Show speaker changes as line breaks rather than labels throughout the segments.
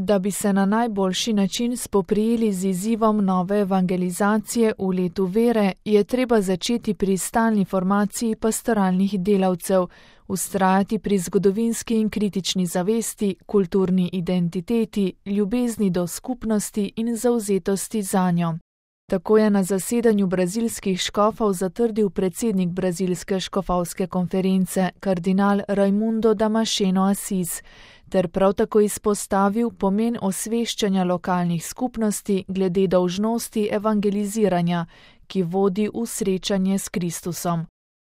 Da bi se na najboljši način spoprijeli z izzivom nove evangelizacije v letu vere, je treba začeti pri stalni formaciji pastoralnih delavcev, vztrajati pri zgodovinski in kritični zavesti, kulturni identiteti, ljubezni do skupnosti in zavzetosti zanjo. Tako je na zasedanju brazilskih škofov zatrdil predsednik Brazilske škofovske konference, kardinal Raimundo Damasceno Assis, ter prav tako izpostavil pomen osveščanja lokalnih skupnosti glede dolžnosti evangeliziranja, ki vodi v srečanje s Kristusom.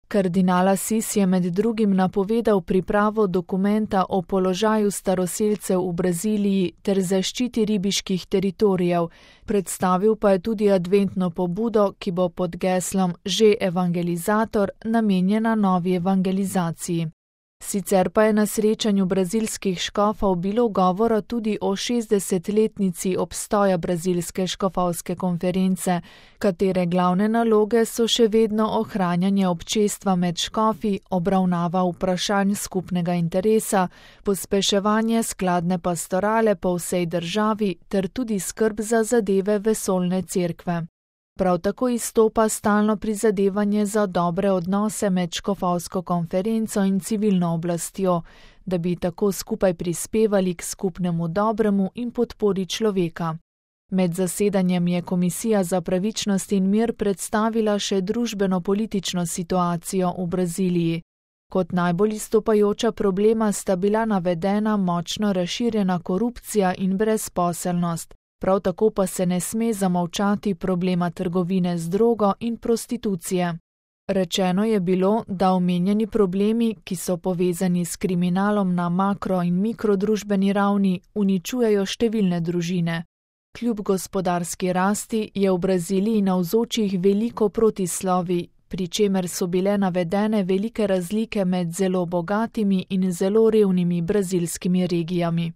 Kardinal Assis je med drugim napovedal pripravo dokumenta o položaju staroselcev v Braziliji ter zaščiti ribiških teritorijev, predstavil pa je tudi adventno pobudo, ki bo pod geslom Že evangelizator namenjena novi evangelizaciji. Sicer pa je na srečanju brazilskih škofov bilo govora tudi o 60-letnici obstoja Brazilske škofovske konference, katere glavne naloge so še vedno ohranjanje občestva med škofi, obravnava vprašanj skupnega interesa, pospeševanje skladne pastorale po vsej državi ter tudi skrb za zadeve vesoljne cerkve. Prav tako izstopa stalno prizadevanje za dobre odnose med škofovsko konferenco in civilno oblastjo, da bi tako skupaj prispevali k skupnemu dobremu in podpori človeka. Med zasedanjem je Komisija za pravičnost in mir predstavila še družbeno-politično situacijo v Braziliji. Kot najbolj izstopajoča problema sta bila navedena močno razširjena korupcija in brezposelnost. Prav tako pa se ne sme zamolčati problema trgovine z drogo in prostitucije. Rečeno je bilo, da omenjeni problemi, ki so povezani s kriminalom na makro- in mikrodružbeni ravni, uničujejo številne družine. Kljub gospodarski rasti je v Braziliji navzočih veliko protislovij, pri čemer so bile navedene velike razlike med zelo bogatimi in zelo revnimi brazilskimi regijami.